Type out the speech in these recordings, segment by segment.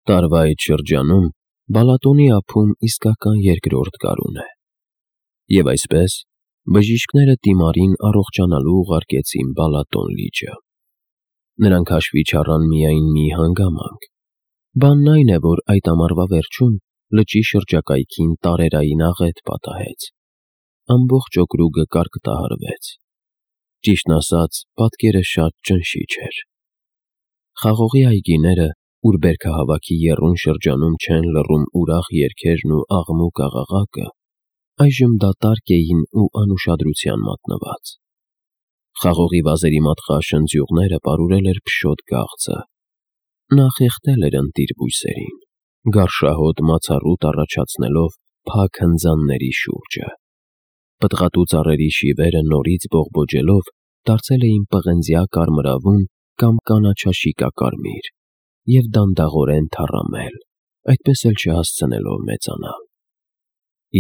Տարվա այդ շրջանում Բալատոնի ափում իսկական երկրորդ գարուն է։ Եվ այսպես բժիշկները Տիմարին առողջանալու ուղարկեցին Բալատոն լիճը։ Նրանք հաշվի չառան միայն մի հանգամանք։ Բանն այն է, որ այդ ամառվա վերջում լճի շրջակայքին տարերային աղետ պատահեց։ Ամբողջ օկրուգը կարկտահարվեց։ Ճիշտն ասած, պատկերը շատ ճնշիչ էր։ Խաղողի այգիները, ուր բերքահավաքի եռուն շրջանում չեն լռում ուրախ երգերն ու աղմուկ աղաղակը, այժմ դատարկ էին ու անուշադրության մատնված։ Խաղողի վազերի մատղաշնձյուղները պարուրել էր փշոտ գաղձը։ Նա խեղդել էր ընտիր բույսերին, գարշահոտ մացառուտ առաջացնելով փակ հնձանների շուրջը։ Պտղատու ծառերի շիվերը նորից բողբոջելով դարձել էին պղնձյա կարմրավուն կամ կանաչաշիկակարմիր և դանդաղորեն թառամել, այդպես էլ չհասցնելով մեծանալ։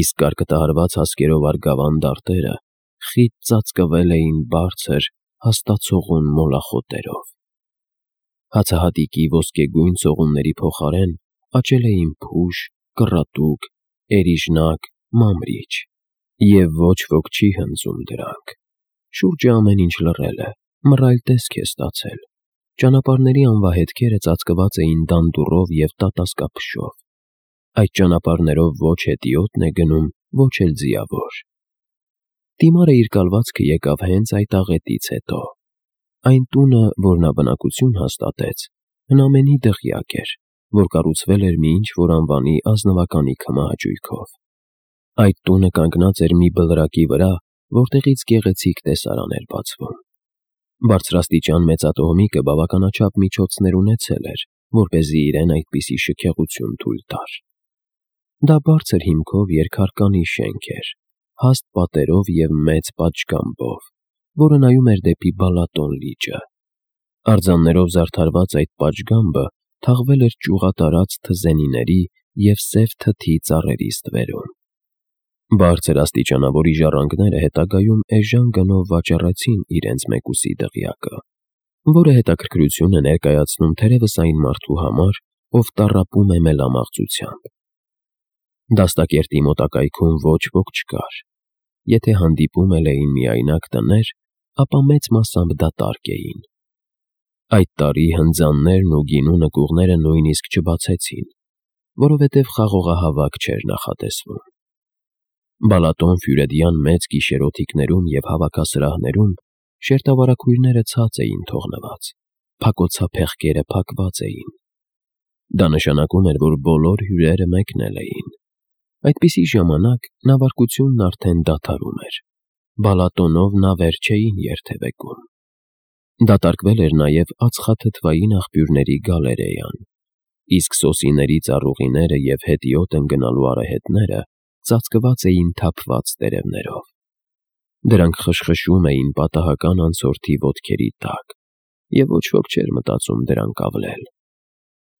Իսկ կարկտահարված հասկերով արգավան դարտերը խիտ ծածկվել էին բարձր, հաստացողուն մոլախոտերով։ Հացահատիկի ոսկեգույն ծողունների փոխարեն աճել էին փուշ, կռատուկ, էրիժնակ, մանրիչ, և ոչ ոք չի հնձում դրանք։ Շուրջը ամեն ինչ լռել է, մռայլ տեսք է ստացել։ Ճանապարհների անվահետքերը ծածկված էին դանդուռով և տատասկափշով։ Այդ ճանապարհներով ոչ հետիոտն է գնում, ոչ էլ ձիավոր։ Տիմարը իր կալվածքը եկավ հենց այդ աղետից հետո։ Այն տունը, որ նա բնակություն հաստատեց, հնամենի դղյակ էր, որ կառուցվել էր մի ինչ-որ անվանի ազնվականի քմահաճույքով։ Այդ տունը կանգնած էր մի բլրակի վրա, որտեղից գեղեցիկ տեսարան էր բացվում։ Բարձրաստիճան մեծատոհմիկը բավականաչափ միջոցներ ունեցել էր, որպեսզի իրեն այդպիսի շքեղություն թույլ տար։ Դա բարձր հիմքով երկհարկանի շենք էր, հաստ պատերով և մեծ պատշգամբով, որը նայում էր դեպի Բալատոն լիճը։ Արձաններով զարդարված այդ պատշգամբը թաղվել էր ճյուղատարած թզենիների և սև թթի ծառերի ստվերում։ Բարձր աստիճանավորի ժառանգները հետագայում էժան գնով վաճառեցին իրենց մեկուսի դղյակը, որը հետաքրքրություն է ներկայացնում թերևս այն մարդու համար, ով տառապում է մելամաղձությամբ։ Դաստակերտի մոտակայքում ոչ ոք չկար։ Եթե հանդիպում էլ էին միայնակ տներ, ապա մեծ մասամբ դատարկ էին։ Այդ տարի հնձաններն ու գինու նկուղները նույնիսկ չբացեցին, որովհետև խաղողահավաք չէր նախատեսվում։ Բալատոն ֆյուրեդյան մեծ գիշերօթիկներում և հավաքասրահներում շերտավարակույրները ցած էին թողնված, փակոցափեղկերը փակված էին։ Դա նշանակում էր, որ բոլոր հյուրերը մեկնել էին։ Այդպիսի ժամանակ նավարկությունն արդեն դադարում էր։ Բալատոնով նավեր չէին երթևեկում։ Դատարկվել էր նաև ածխաթթվային աղբյուրների գալերեան, իսկ սոսիների ծառուղիները և հետիոտ ընկնալու արահետները ծածկված էին թափված տերևներով։ Դրանք խշխշում էին պատահական անցորդի ոտքերի տակ, և ոչ ոք չէր մտածում դրանք ավլել։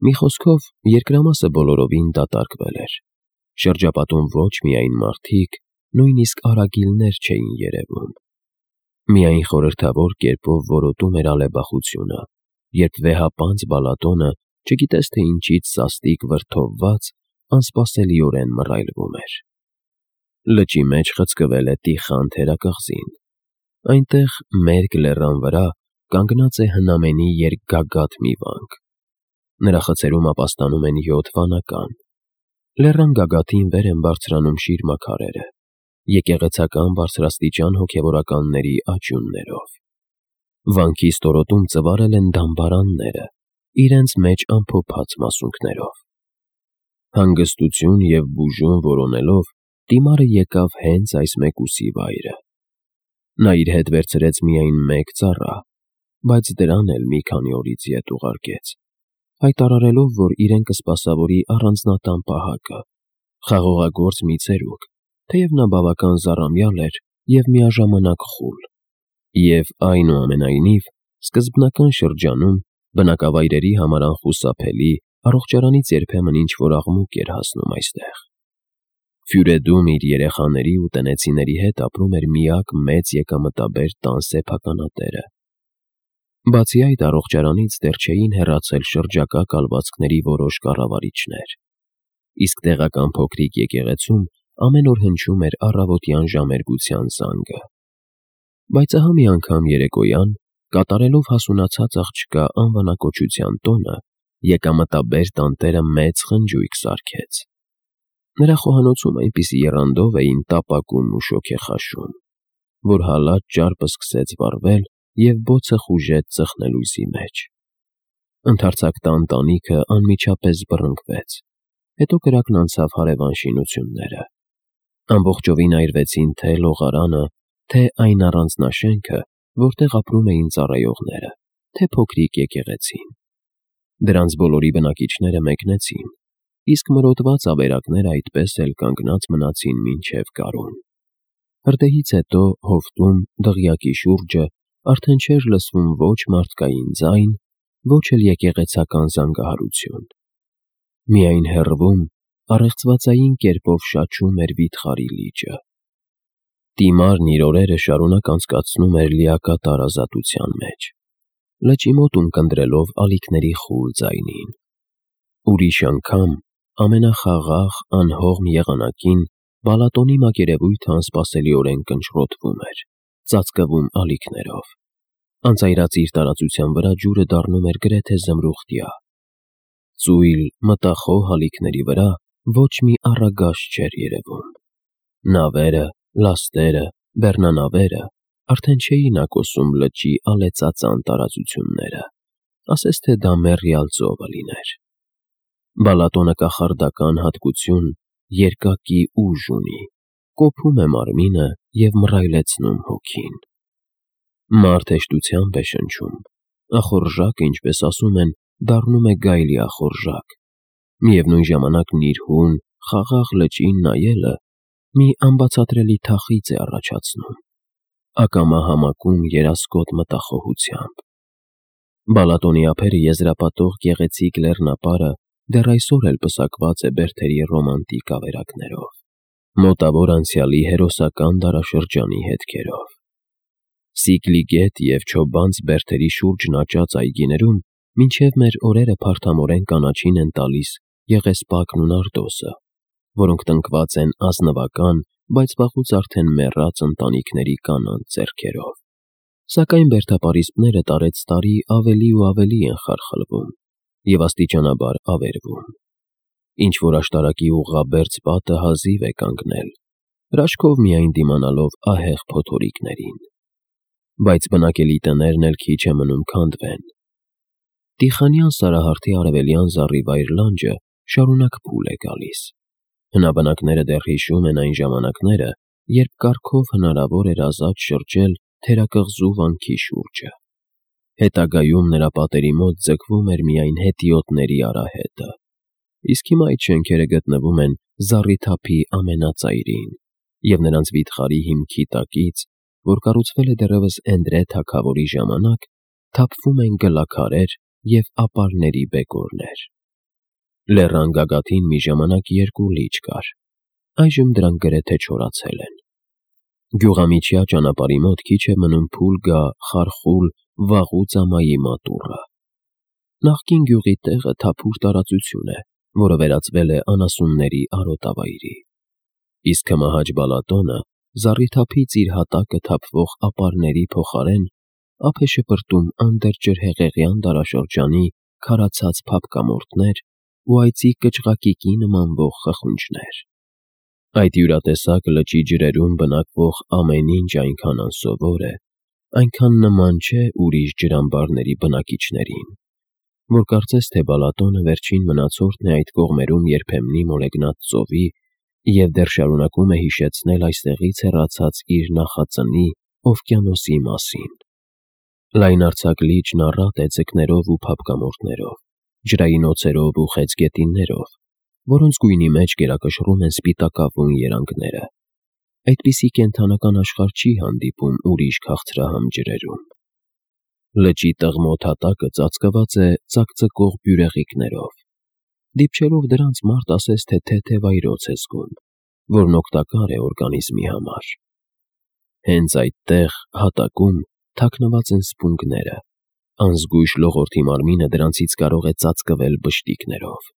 Մի խոսքով, երկրամասը բոլորովին դատարկվել էր։ Շրջապատում ոչ միայն մարդիկ, նույնիսկ արագիլներ չէին երևում։ Միայն խորհրդավոր կերպով որոտում էր ալեբախությունը, երբ վեհապանծ Բալատոնը, չգիտես թե ինչից սաստիկ վրդովված, անսպասելիորեն մռայլվում էր։ Լճի մեջ խցկվել է Տիխան թերակղզին։ Այնտեղ, մերկ լեռան վրա, կանգնած է հնամենի երկգագաթ մի վանք։ Նրա խցերում ապաստանում են 7 վանական։ Լեռան գագաթին վեր են բարձրանում շիրմաքարերը, եկեղեցական բարձրաստիճան հոգևորականների աճյուններով։ Վանքի ստորոտում ծվարել են դամբարանները, իրենց մեջ ամփոփած մասունքներով։ Հանգստություն և բուժում որոնելով, Տիմարը եկավ հենց այս մեկուսի վայրը։ Նա իր հետ վերցրեց միայն մեկ ծառա, բայց դրան էլ մի քանի օրից ետ ուղարկեց, հայտարարելով, որ իրեն կսպասավորի առանձնատան պահակը, խաղողագործ մի ծերուկ, թեև նա բավական զառամյալ էր և միաժամանակ խուլ, և այնուամենայնիվ սկզբնական շրջանում բնակավայրերի համար անխուսափելի, առողջարանից երբեմն ինչ-որ աղմուկ էր հասնում այստեղ։ Ֆյուրեդում իր երեխաների ու տնեցիների հետ ապրում էր միակ մեծ եկամտաբեր տան սեփականատերը։ Բացի այդ, առողջարանից դեռ չէին հեռացել շրջակա կալվածքների որոշ կառավարիչներ, իսկ տեղական փոքրիկ եկեղեցում ամեն օր հնչում էր առավոտյան ժամերգության զանգը։ Բայց ահա մի անգամ երեկոյան, կատարելով հասունացած աղջկա անվանակոչության տոնը, եկամտաբեր տանտերը մեծ խնջույք սարքեց։ Նրա խոհանոցում այնպիսի եռանդով էին տապակում ու շոգեխաշում, որ հալած ճարպը սկսեց վառվել և բոցը խուժեց ծխնելույզի մեջ։ Ընդարձակ տան տանիքը անմիջապես բռնկվեց, հետո կրակն անցավ հարևան շինությունները։ Ամբողջովին այրվեցին թե լողարանը, թե այն առանձնաշենքը, որտեղ ապրում էին ծառայողները, թե փոքրիկ եկեղեցին։ Դրանց բոլորի բնակիչները մեկնեցին, իսկ մրոտված ավերակները այդպես էլ կանգնած մնացին մինչև գարուն։ Հրդեհից հետո հովտում, դղյակի շուրջը արդեն չէր լսվում ոչ մարդկային ձայն, ոչ էլ եկեղեցական զանգահարություն։ Միայն հեռվում, առեղծվածային կերպով շաչում էր վիթխարի լիճը։ Տիմարն իր օրերը շարունակ անցկացնում էր լիակատար ազատության մեջ, լճի մոտ ունկնդրելով ալիքների խուլ ձայնին։ Ուրիշ անգամ, ամենախաղաղ, անհողմ եղանակին Բալատոնի մակերևույթը անսպասելիորեն կնճռոտվում էր, ծածկվում ալիքներով։ Անծայրածիր տարածության վրա ջուրը դառնում էր գրեթե զմրուխտյա։ Ծույլ, մտախոհ ալիքների վրա ոչ մի առագաշ չէր երևում։ Նավերը, լաստերը, բեռնանավերը արդեն չէին ակոսում լճի ալեցածան տարածությունները, ասես թե դա մեռյալ ծովը լիներ։ Բալատոնը կախարդական հատկություն, երկակի ուժ ունի, կոփում է մարմինը և մռայլեցնում հոգին։ Մարդ հեշտությամբ է շնչում, ախորժակը, ինչպես ասում են, դառնում է գայլի ախորժակ, միևնույն ժամանակ նիրհուն, խաղաղ լճին նայելը մի անբացատրելի թախիծ է առաջացնում, ակամա համակում երասկոտ մտախոհությամբ։ Բալատոնի ափերը եզրապատող գեղեցիկ լեռնապարը դեռ այսօր էլ պսակված է բերդերի ռոմանտիկ ավերակներով, մոտավոր անցյալի հերոսական դարաշրջանի հետքերով։ Սիկլի գետ և Չոբանց բերդերի շուրջն աճած այգիներում մինչև մեր օրերը փարթամորեն կանաչին են տալիս եղեսպակն ու նարդոսը, որոնք տնկված են ազնվական, բայց վաղուց արդեն մեռած ընտանիքների կանանց ձեռքերով։ Սակայն բերդապարիսպները տարեցտարի ավելի ու ավելի են խարխլվում և աստիճանաբար ավերվում։ Ինչ-որ աշտարակի ուղղաբերձ պատը հազիվ է կանգնել, հրաշքով միայն դիմանալով ահեղ փոթորիկներին։ Բայց բնակելի տներն էլ քիչ է մնում քանդվեն։ Տիխանյան Սարահարթի արևելյան զառիվայր լանջը շարունակ փուլ է գալիս։ Հնաբնակները դեռ հիշում են այն ժամանակները, երբ կառքով հնարավոր էր ազատ շրջել թերակղզու վանքի շուրջը։ Հետագայում նրա պատերի մոտ ձգվում էր միայն հետիոտների արահետը, իսկ հիմա այդ շենքերը գտնվում են զառիթափի ամենածայրին և նրանց վիթխարի հիմքի տակից, որ կառուցվել է դեռևս Էնդրե թագավորի ժամանակ, թափվում են գլաքարեր և ապարների բեկորներ։ Լեռան գագաթին մի ժամանակ երկու լիճ կար, այժմ դրանք գրեթե չորացել են։ Գյուղամիջյա ճանապարհի մոտ քիչ է մնում փուլ գա խարխուլ վաղուց ամայի մատուռը։ Նախկին գյուղի տեղը թափուր տարածություն է, որը վերածվել է անասունների արոտավայրի, իսկ հմահաճ Բալատոնը զառիթափից իր հատակը թափվող ապարների փոխարեն ափ է շպրտում անդրջրհեղեղյան դարաշրջանի քարացած փափկամորթներ ու այծի կճղակիկի նմանվող խխունջներ։ Այդ յուրատեսակ լճի ջրերում բնակվող ամեն ինչ այնքան անսովոր է, այնքան նման չէ ուրիշ ջրամբարների բնակիչներին, որ կարծես թե Բալատոնը վերջին մնացորդն է այդ կողմերում երբեմնի մոլեգնած ծովի և դեռ շարունակում է հիշեցնել այստեղից հեռացած իր նախածնի օվկիանոսի մասին։ Լայնարձակ լիճն առատ է ձկներով ու փափկամորթներով, ջրային օձերով ու խեցգետիններով, որոնց գույնի մեջ գերակշռում են սպիտակավուն երանգները։ Այդպիսի կենդանական աշխարհ չի հանդիպում ուրիշ քաղցրահամ ջրերում։ Լճի տղմոտ հատակը ծածկված է ծակծկող բյուրեղիկներով։ Դիպչելով դրանց մարդ ասես թե թեթև այրոց է զգում, որն օգտակար է օրգանիզմի համար։ Հենց այդտեղ, հատակում, թաքնված են սպունգները, Անզգույշ լողորդի մարմինը դրանցից կարող է ծածկվել բշտիկներով։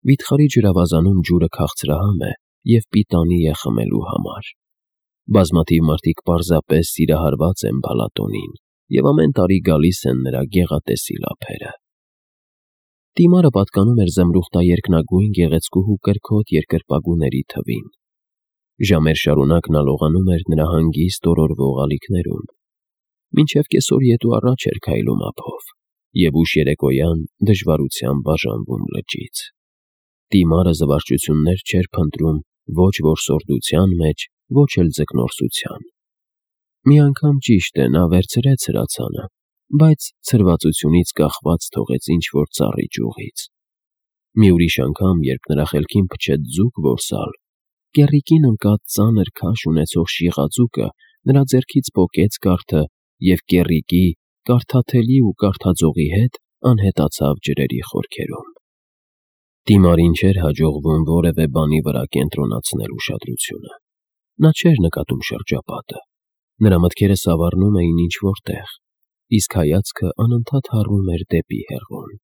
Վիթխարի ջրավազանում ջուրը քաղցրահամ է և պիտանի է խմելու համար։ Բազմաթիվ մարդիկ պարզապես սիրահարված են Բալատոնին և ամեն տարի գալիս են նրա գեղատեսիլ ափերը։ Տիմարը պատկանում էր զմրուխտաերկնագույն գեղեցկուհու կրքոտ երկրպագուների թվին։ Ժամեր շարունակ նա լողանում էր նրա հանգիստ օրորվող ալիքներում, մինչև կեսօր ետ ու առաջ էր քայլում ափով և ուշ երեկոյան դժվարությամբ բաժանվում լճից։ Տիմարը զվարճություններ չէր փնտրում ոչ որսորդության մեջ, ոչ էլ ձկնորսության։ Մի անգամ, ճիշտ է, նա վերցրեց հրացանը, բայց ցրվածությունից կախված թողեց ինչ-որ ծառի ճյուղից։ Մի ուրիշ անգամ, երբ նրա խելքին փչեց ձուկ որսալ, կեռիկին ընկած ծանր քաշ ունեցող շիղաձուկը նրա ձեռքից պոկեց կարթը և կեռիկի, կարդաթելի ու կարդաձողի հետ անհետացավ ջրերի խորքերում։ Տիմարին չէր հաջողվում որևէ բանի վրա կենտրոնացնել ուշադրությունը։ Նա չէր նկատում շրջապատը։ Նրա մտքերը սավառնում էին ինչ֊որ տեղ, իսկ հայացքը անընդհատ հառում էր դեպի հեռուն։